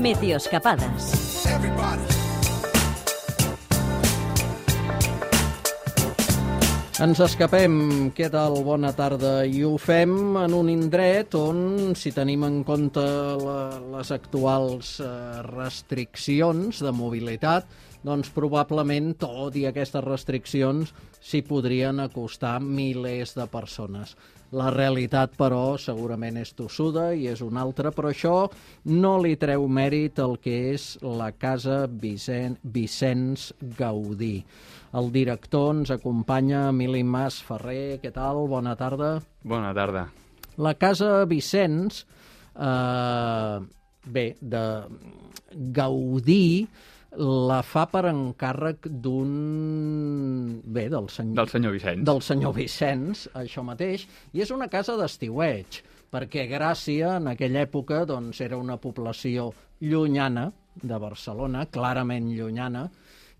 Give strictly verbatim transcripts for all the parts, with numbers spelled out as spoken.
Meteoscapades. Ens escapem, què tal? Bona tarda. I ho fem en un indret on, si tenim en compte la, les actuals eh, restriccions de mobilitat, doncs probablement, tot i aquestes restriccions, s'hi podrien acostar milers de persones. La realitat, però, segurament és tossuda i és una altra, però això no li treu mèrit al que és la Casa Vicen... Vicenç Gaudí. El director ens acompanya, Emili Mas Ferrer. Què tal? Bona tarda. Bona tarda. La Casa Vicenç, eh, bé, de Gaudí, la fa per encàrrec d'un... bé, del senyor... Del senyor Vicenç. Del senyor Vicenç, això mateix, i és una casa d'estiueig, perquè Gràcia, en aquella època, doncs, era una població llunyana de Barcelona, clarament llunyana,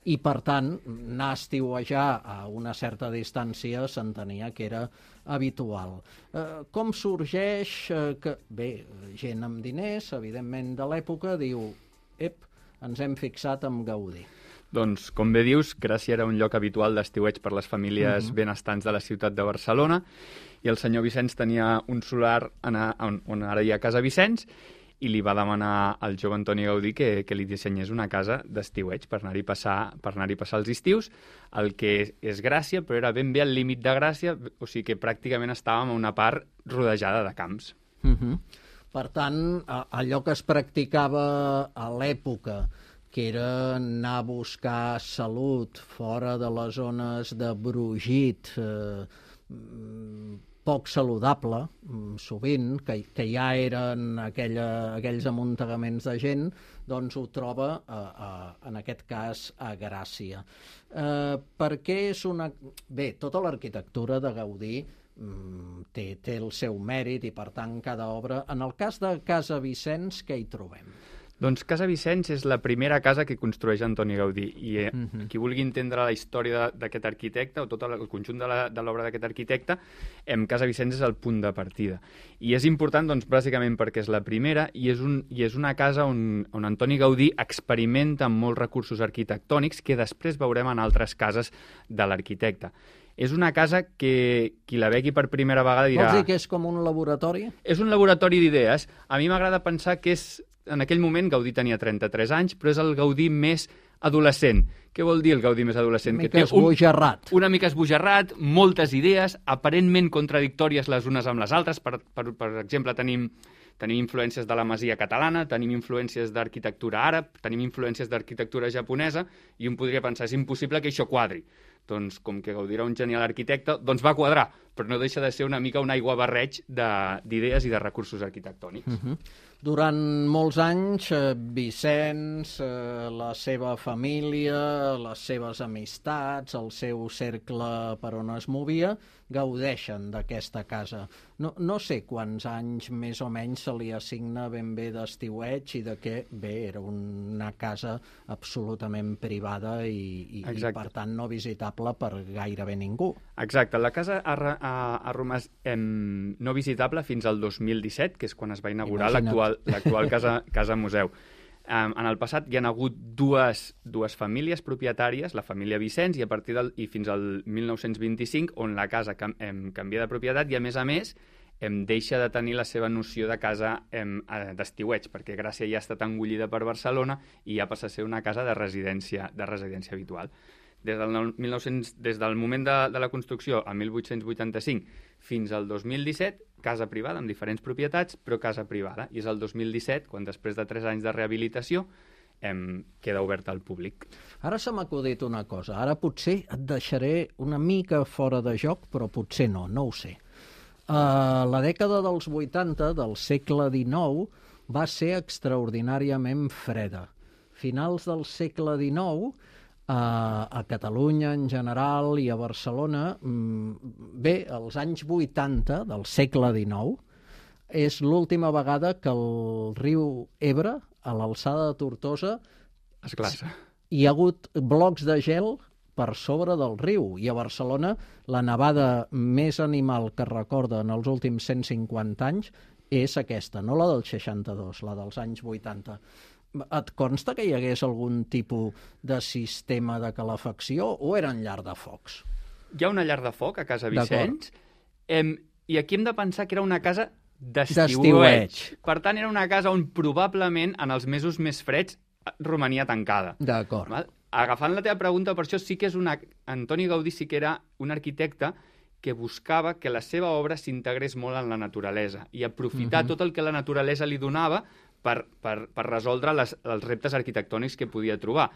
i, per tant, anar a estiuejar a una certa distància s'entenia que era habitual. Eh, com sorgeix eh, que, bé, gent amb diners, evidentment de l'època, diu, ep, ens hem fixat amb Gaudí. Doncs, com bé dius, Gràcia era un lloc habitual d'estiueig per les famílies uh-huh. benestants de la ciutat de Barcelona, i el senyor Vicenç tenia un solar on, on ara hi ha Casa Vicenç, i li va demanar al jove Antoni Gaudí que, que li dissenyés una casa d'estiueig per anar-hi passar, per anar-hi passar els estius, el que és Gràcia, però era ben bé al límit de Gràcia, o sigui que pràcticament estàvem a una part rodejada de camps. Uh-huh. Per tant, allò que es practicava a l'època, que era anar a buscar salut fora de les zones de brogit, eh, poc saludable, sovint, que, que ja eren aquella, aquells amuntegaments de gent, doncs ho troba, a, a, en aquest cas, a Gràcia. Eh, perquè és una... Bé, tota l'arquitectura de Gaudí té, té el seu mèrit i, per tant, cada obra... En el cas de Casa Vicenç, què hi trobem? Doncs Casa Vicenç és la primera casa que construeix Antoni Gaudí, i eh, uh-huh. qui vulgui entendre la història d'aquest arquitecte o tot el conjunt de l'obra d'aquest arquitecte, em, Casa Vicenç és el punt de partida. I és important, doncs, bàsicament perquè és la primera i és, un, i és una casa on, on Antoni Gaudí experimenta amb molts recursos arquitectònics que després veurem en altres cases de l'arquitecte. És una casa que qui la vegi per primera vegada dirà... Vols dir que és com un laboratori? És un laboratori d'idees. A mi m'agrada pensar que és... En aquell moment Gaudí tenia trenta-tres anys, però és el Gaudí més adolescent. Què vol dir el Gaudí més adolescent? Una mica esbojarrat. Un, una mica esbojarrat, moltes idees, aparentment contradictòries les unes amb les altres. Per, per, per exemple, tenim, tenim influències de la masia catalana, tenim influències d'arquitectura àrab, tenim influències d'arquitectura japonesa, i un podria pensar, és impossible que això quadri. Doncs, com que Gaudí era un genial arquitecte, doncs va quadrar, però no deixa de ser una mica un aiguabarreig d'idees i de recursos arquitectònics. Uh-huh. Durant molts anys, eh, Vicenç, eh, la seva família, les seves amistats, el seu cercle per on es movia, gaudeixen d'aquesta casa. No, no sé quants anys més o menys se li assigna ben bé d'estiueig i de què, bé, era una casa absolutament privada i, i, i per tant no visitable per gairebé ningú. Exacte, la casa ha, ha, ha romàs em, no visitable fins al dos mil disset, que és quan es va inaugurar l'actual l'actual casa, casa museu. Um, en el passat hi ha hagut dues, dues famílies propietàries, la família Vicenç, i a partir del, i fins al mil nou-cents vint-i-cinc, on la casa cam, em, canvia de propietat i, a més a més, em deixa de tenir la seva noció de casa em, d'estiueig, perquè Gràcia ja ha estat engollida per Barcelona i ja passa a ser una casa de residència, de residència habitual. Des del, mil nou-cents, des del moment de, de la construcció, a mil vuit-cents vuitanta-cinc, fins al dos mil disset, casa privada amb diferents propietats, però casa privada. I és el dos mil disset, quan després de tres anys de rehabilitació, em, queda oberta al públic. Ara se m'ha acudit una cosa. Ara potser et deixaré una mica fora de joc, però potser no, no ho sé. Uh, la dècada dels vuitanta del segle dinou va ser extraordinàriament freda. Finals del segle dinou, Uh, a Catalunya en general i a Barcelona, bé, als anys vuitanta del segle dinou, és l'última vegada que el riu Ebre, a l'alçada de Tortosa, es glaça. Hi ha hagut blocs de gel per sobre del riu, i a Barcelona la nevada més animal que es recorda en els últims cent cinquanta anys és aquesta, no la del seixanta-dos, la dels anys vuitanta. et consta que hi hagués algun tipus de sistema de calefacció o eren llar de focs? Hi ha una llar de foc a Casa Vicenç, em, i aquí hem de pensar que era una casa d'estiueig. Per tant, era una casa on probablement en els mesos més freds romania tancada. D'acord. Val? Agafant la teva pregunta, per això sí que és una... Antoni Gaudí sí que era un arquitecte que buscava que la seva obra s'integrés molt en la naturalesa i aprofitar uh-huh. tot el que la naturalesa li donava per, per, per resoldre les, els reptes arquitectònics que podia trobar.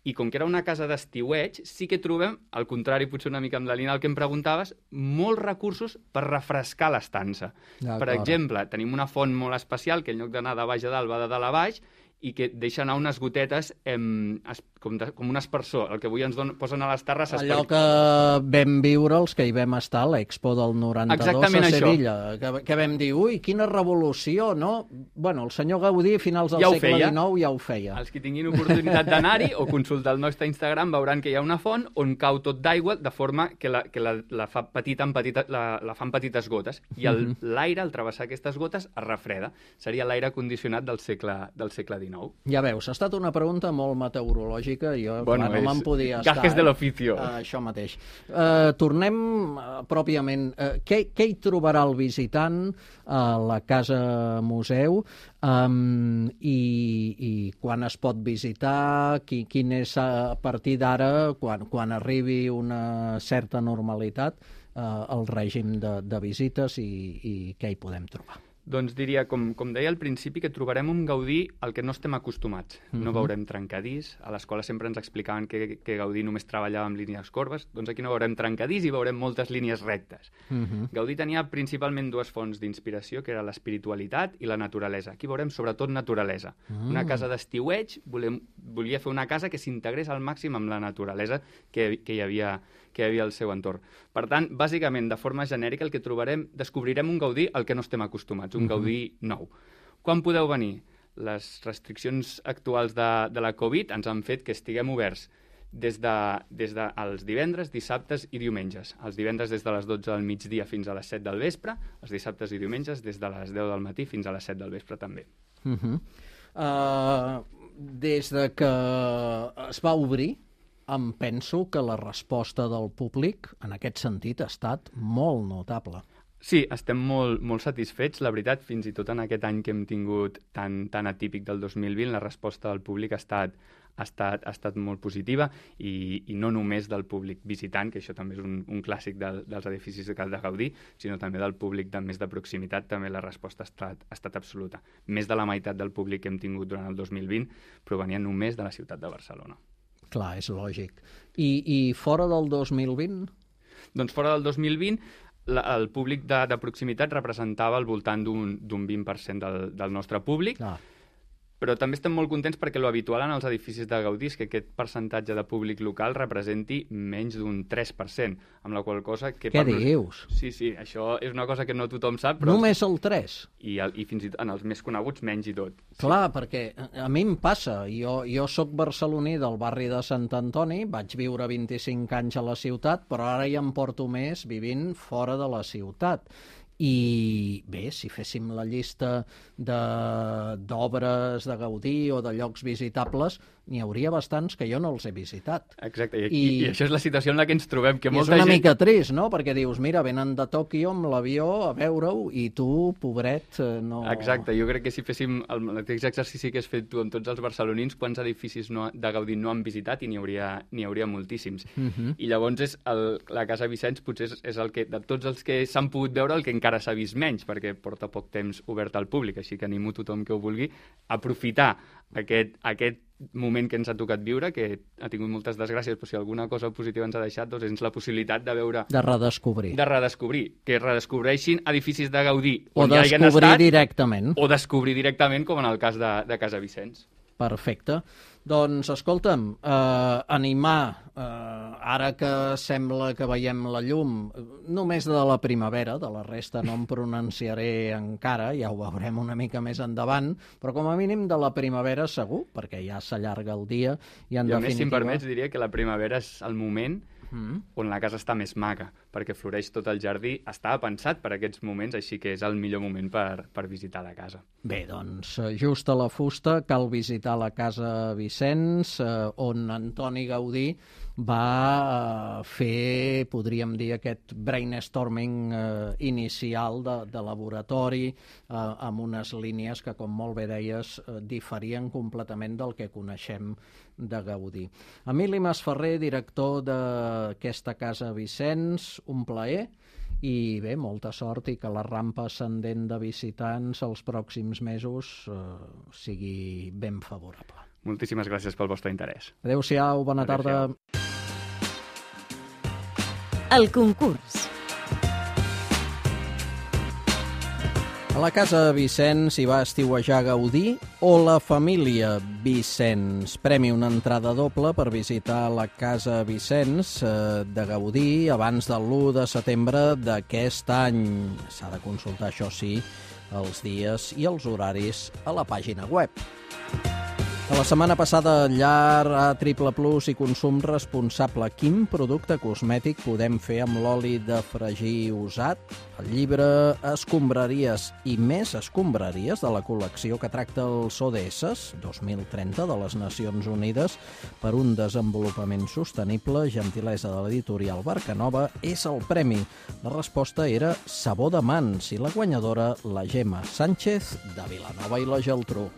I com que era una casa d'estiueig, sí que trobem, al contrari potser una mica amb la línia del que em preguntaves, molts recursos per refrescar l'estança. Per exemple, tenim una font molt especial que en lloc d'anar de baix a dalt va de dalt a baix i que deixa anar unes gotetes em, es, com, de, com un aspersor. El que avui ens don, posen a les terrasses... Allò per... que vam viure els que hi vam estar a l'Expo del noranta-dos Exactament a Sevilla, que, que vam dir, ui, quina revolució, no? Bueno, el senyor Gaudí a finals del ja segle dinou ja ho feia. Els que tinguin oportunitat d'anar-hi o consultar el nostre Instagram veuran que hi ha una font on cau tot d'aigua de forma que la, que la, la fa petita en petita, la, la fan petites gotes i l'aire, al travessar aquestes gotes, es refreda. Seria l'aire condicionat del segle, del segle dinou. Ja veus, ha estat una pregunta molt meteorològica, jo bueno, clar, no me'n podia estar. Gajes de l'oficio. Uh, això mateix. Uh, tornem uh, pròpiament. Uh, què, què hi trobarà el visitant a la Casa Museu um, i, i quan es pot visitar, qui, quin és a partir d'ara, quan, quan arribi una certa normalitat, uh, el règim de, de visites i, i què hi podem trobar? Doncs diria, com, com deia al principi, que trobarem un Gaudí al que no estem acostumats. Uh-huh. No veurem trencadís. A l'escola sempre ens explicaven que, que Gaudí només treballava amb línies corbes. Doncs aquí no veurem trencadís i veurem moltes línies rectes. Uh-huh. Gaudí tenia principalment dues fonts d'inspiració, que era l'espiritualitat i la naturalesa. Aquí veurem sobretot naturalesa. Uh-huh. Una casa d'estiueig, volem, volia fer una casa que s'integrés al màxim amb la naturalesa que, que hi havia que hi havia al seu entorn. Per tant, bàsicament, de forma genèrica, el que trobarem, descobrirem un Gaudí al que no estem acostumats, un uh-huh. Gaudí nou. Quan podeu venir? Les restriccions actuals de, de la Covid ens han fet que estiguem oberts des de, des de els divendres, dissabtes i diumenges. Els divendres des de les dotze del migdia fins a les set del vespre, els dissabtes i diumenges des de les deu del matí fins a les set del vespre també. Uh-huh. uh, des de que es va obrir, em penso que la resposta del públic en aquest sentit ha estat molt notable. Sí, estem molt, molt satisfets, la veritat, fins i tot en aquest any que hem tingut tan, tan atípic del dos mil vint, la resposta del públic ha estat, ha estat, ha estat molt positiva i, i no només del públic visitant, que això també és un, un clàssic del, dels edificis de Gaudí, sinó també del públic de més de proximitat, també la resposta ha estat, ha estat absoluta. Més de la meitat del públic que hem tingut durant el dos mil vint provenia només de la ciutat de Barcelona. Clar, és lògic. I, i fora del dos mil vint? Doncs fora del dos mil vint, la, el públic de, de proximitat representava al voltant d'un vint per cent del, del nostre públic, ah. Però també estem molt contents perquè lo habitual en els edificis de Gaudí és que aquest percentatge de públic local representi menys d'un tres per cent, amb la qual cosa... Que Què dius? Sí, sí, això és una cosa que no tothom sap, però... Només el tres? I, el, i fins i tot en els més coneguts menys i tot. Clar, sí. Perquè a mi em passa, jo, jo sóc barceloní del barri de Sant Antoni, vaig viure vint-i-cinc anys a la ciutat, però ara ja em porto més vivint fora de la ciutat. I bé, si féssim la llista d'obres de, de Gaudí o de llocs visitables, n'hi hauria bastants que jo no els he visitat. Exacte, i, I, i això és la situació en la que ens trobem. Que molta és una gent... mica trist, no? Perquè dius, mira, venen de Tòquio amb l'avió a veure-ho i tu, pobret, no... Exacte, jo crec que si féssim el mateix exercici que has fet tu amb tots els barcelonins, quants edificis no, de Gaudí no han visitat i n'hi hauria, n'hi hauria moltíssims. Uh-huh. I llavors és el, la Casa Vicenç potser és, és el que, de tots els que s'han pogut veure, el que encara s'ha vist menys, perquè porta poc temps obert al públic, així que animo tothom que ho vulgui a aprofitar aquest, aquest moment que ens ha tocat viure, que ha tingut moltes desgràcies, però si alguna cosa positiva ens ha deixat, doncs és la possibilitat de veure... De redescobrir. De redescobrir. Que redescobreixin edificis de Gaudí o on ja hagin estat... O descobrir directament. O descobrir directament, com en el cas de, de Casa Vicenç. Perfecte. Doncs, escolta'm, eh, animar, eh, ara que sembla que veiem la llum, només de la primavera, de la resta no em pronunciaré encara, ja ho veurem una mica més endavant, però com a mínim de la primavera segur, perquè ja s'allarga el dia i en I a definitiva... més, si em permets, diria que la primavera és el moment mm. on la casa està més maca, perquè floreix tot el jardí. Estava pensat per aquests moments, així que és el millor moment per, per visitar la casa. Bé, doncs, just a la fusta cal visitar la Casa Vicenç, eh, on Antoni Gaudí va fer, podríem dir, aquest brainstorming eh, inicial de, de laboratori eh, amb unes línies que, com molt bé deies, eh, diferien completament del que coneixem de Gaudí. Emili Masferrer, director d'aquesta Casa Vicenç, un plaer i bé, molta sort i que la rampa ascendent de visitants els pròxims mesos eh, sigui ben favorable. Moltíssimes gràcies pel vostre interès. Adéu-siau, bona tarda. El concurs. A la Casa Vicenç hi va estiuejar Gaudí o la família Vicenç? Premi una entrada doble per visitar la Casa Vicenç eh, de Gaudí abans de l'u de setembre d'aquest any. S'ha de consultar, això sí, els dies i els horaris a la pàgina web. A la setmana passada, llar A triple plus i consum responsable. Quin producte cosmètic podem fer amb l'oli de fregir usat? El llibre Escombraries i més escombraries de la col·lecció que tracta els O D S dos mil trenta de les Nacions Unides per un desenvolupament sostenible, gentilesa de l'editorial Barcanova, és el premi. La resposta era sabó de mans i la guanyadora, la Gemma Sánchez de Vilanova i la Geltrú.